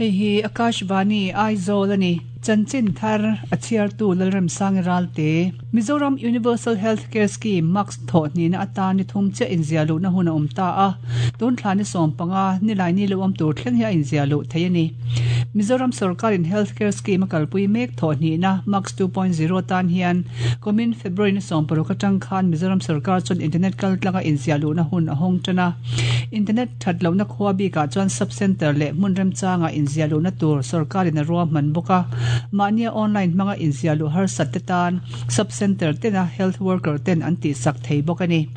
Hei hi Akashvani, Aizawl a ni. Chanchin thar a chhiartu Lalremsangi Ralte. Mizoram Universal Health Care Scheme, MACS, thawh hnihna atan ni thum chiah inziah luhna hun a awm ta a, tun thla ni 15, nilai ni lo awm tur thleng hi a inziah luh thei a ni. Mizoram sorkarin Health Care Scheme a kalpui mek thawh hnihna MACS 2.0 tan hian kumin February ni 16 atang khan Mizoram sorkar chuan internet kaltlanga inziah luhna hun a hawng tan a. Internet that lohna khua bikah chuan sub centre leh hmun remchangah inziah luhna tur sorkarin a ruahman bawk a. Mahnia online hmanga inziah luh harsat te tan sub centre tena health worker ten an tihsak thei bawk a ni.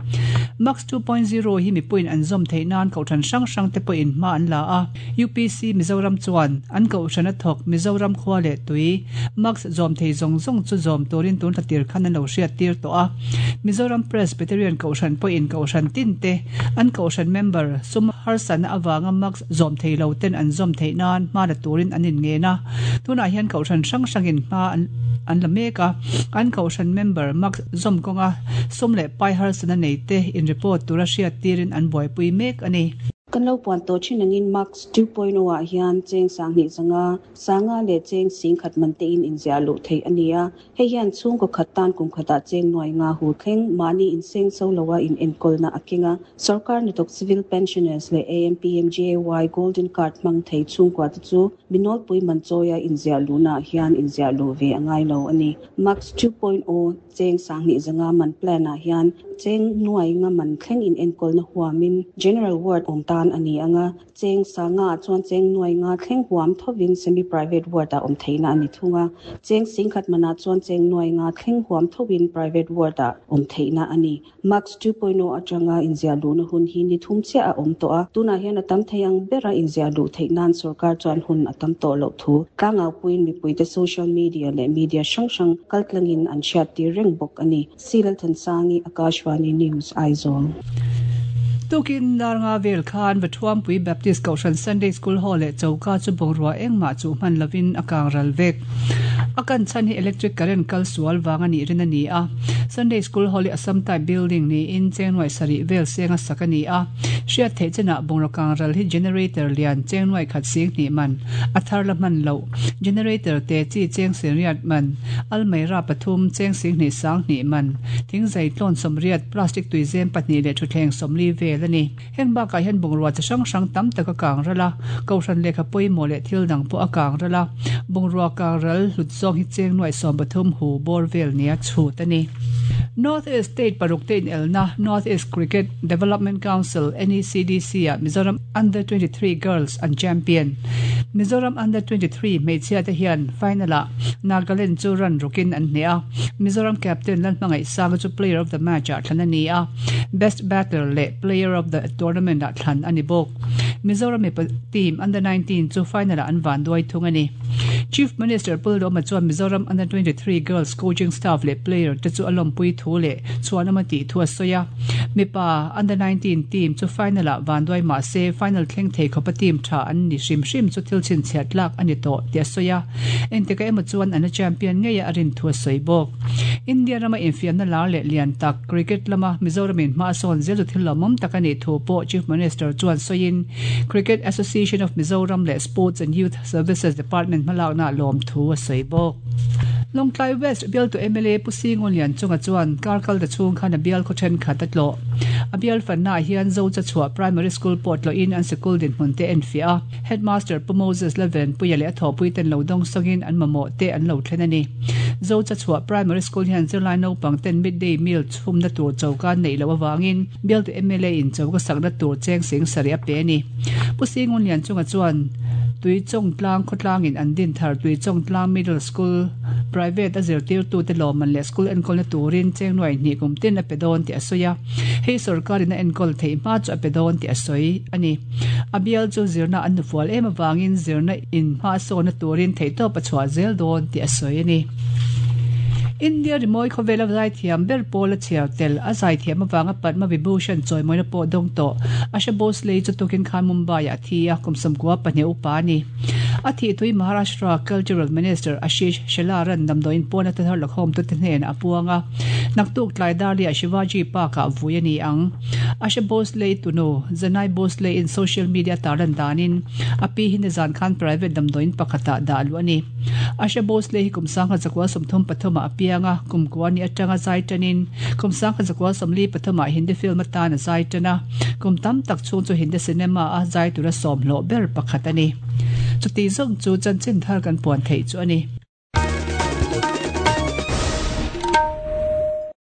Max 2.0 hi mipuiin an zawm theih nan kohhran hrang hrang te pawhin hma an la a. UPC Mizoram chuan an kohhran a thawk Mizoram khua leh tui Max zawm thei zawng zawng chu zawm turin tun thlatir khan an lo hriattir tawh a. Mizoram Presbyterian Kohhran pawhin Kohhran tin te an Kohhran member sum harsatna avanga Max zawm thei lo ten an zawm theih nan hma la turin an inngen a. Tunah hian Kohhran hrang hrangin hma an la mek a, an Kohhran member Max zawm kawnga sum leh pai harsatna nei te in report tura hriattirin an buaipui mek a ni. Kan lo puan tawh thin angin Max 2.0 ah hian cheng 2000 zanga sanga leh cheng 10,000 man tein inziah luh theih a ni a. Hei hian chhungkaw khat tan kum khatah cheng nuai nga hu thleng mahni inseng so loa inenkawlna a keng a. Sorkar hnathawk Civil Pensioners leh AMPMGAY Golden Card hmang thei chhungkua te chu minawlpui man chawia inziah luhnaah hian inziah luh ve a ngai lo a ni. Max 2.0 Cheng 2000 zanga man plan ah hian cheng nuai nga man thleng in enkawlna huamin General Ward awm tan a ni ang a, cheng sanga ah chuan cheng nuai nga thleng huam thovin Semi Private Ward ah awm theihna a ni thung a, cheng 10,000 man ah chuan cheng nuai nga thleng huam thovin Private Ward ah awm theihna a ni. Max 2.0 atanga inziah luhna hun hi ni thum chiah a awm tawh a, tunah hian a tam thei ang bera inziah luh theih nan sorkar chuan hun a tam tawh loh thu tlangaupuiin mipuite social media leh media hrang hrang kaltlangin an hriattir reng bawk a ni. C. Lalthansangi, Akashvani News, Aizawl. Tukin dar nga vel khan Vathuampui Baptist Kohhran Sunday School Hall leh choka chu bungrua engmah chuh hman lovin a kang ral vek. A kan chhan hi electric current kal sual vang a nih rin a ni a. Sunday School Hall hi Assam type building niin cheng nuai sarih vel senga sak a ni a. Hriat theih chenah bungraw kang ral hi generator lian cheng nuai khat sing hnih man, a thar la hman loh, generator te chi cheng sengriat man, almeira pathum cheng sing hnih sang hnih man, thingzai tlawn sawmriat, plastic tuizem pahnih leh thutthleng sawmli vel a ni. Heng bakah hian bungrua chi hrang hrang tam tak a kang ral a, Kohhran lehkha pawimawh leh thil dang pawh a kang ral a, bungrua kang ral hlut zawng hi cheng nuaih 13 hu bawr vel nia chhut a ni. North East State paruk te inelna North East Cricket Development Council, NECDC, ah Mizoram Under 23 Girls an champion. Mizoram Under 23 hmeichhia te hian final ah Nagaland chu run rukin an hneh a, Mizoram captain Lalhmangaihsanga chu player of the match ah thlan a ni a. Best Batter leh Player of the Tournament ah thlan a ni bawk. Mizoram mipa team Under 19 chu final ah an van duai thung a ni. Chief Minister Pu Lawma chuan Mizoram Under 23 Girls coaching staff leh player te chu a lawmpui thu leh chhuanawm a tih thu a sawi a. Mipa Under 19 team chu final ah van duai mah se final thleng thei khawpa team tha an ni hrim hrim chu thil chhinchhiah tlak a ni tawh tih a sawi a. Engtikah emaw chuan an la champion ngei a a rin thu a sawi bawk. India rama infiamna lar leh lian tak Cricket lama Mizoramin hma a sawn zel chu thil lawmawm tak a nih thu pawh Chief Minister chuan sawiin Cricket Association of Mizoram leh Sports and Youth Services Department hmalakna lawm thu a sawi bawk. Lawngtlai West bialtu mla Pu Singawn Lianchunga chuan kar kalta chhung khan a bial khaw thenkhat a tlawh. A bial fannaah hian Zochachhuah Primary School pawh tlawhin an sikul dinhmun te enfiah a, Headmaster Pu Moses Lalvenpuia leh a thawhpuiten lo dawng sawngin an mamawh te an lo thlen a ni. Zochachhuah Primary School hian zirlai naupang ten midday meal chhumna tur choka an neih loh avangin bialtu mla in choka sakna tur cheng sing sarih a pe a ni. Pu Singun Lianchunga chuan Tuichawngtlang khawtlangin an din thar Tuichawngtlang Middle School private a zirtirtute lawmman leh school enkawlna turin cheng nuai hnih kum tin a pe dawn tih a sawi a. Hei sorkarin a enkawl theih hma chu a pe dawn tih a sawi a ni. A bial chu zirna an nufual em avangin zirna in hma sawnna turin theihtawp a chhuah zel dawn tih a sawi a ni. India rimawi khawvela zaithiam ber pawl a chhiar tel. A zaithiam avanga Padma Vibhushan chawimawina pawh dawng tawh. Asha Bhosle chu tukin khan Mumbai-ah a thi a, kum 92 upa a ni. A thih thui Maharashtra Cultural Minister Ashish Shelar-a'n damdawiin pawna thar lakhawmtute hnenah a puang a. Naktuk tlai Darli-ah Shivaji Park-ah vui a ni ang. Asha Bhosle tunu Janai Bhosle in social media tarlan danin a pi hi nizan khan private damdawiin pakhatah dah luh a ni. Asha Bhosle hi kum 1933 ah a piang a, kum kua ni atanga zai tanin kum 1943 ah Hindi film atan a zai tan a, kum tam tak chhung chu Hindi cinema a zai tura sawmhlawh ber pakhat a ni. Chuti zawng chu chanchin thar kan puan theih chu a ni.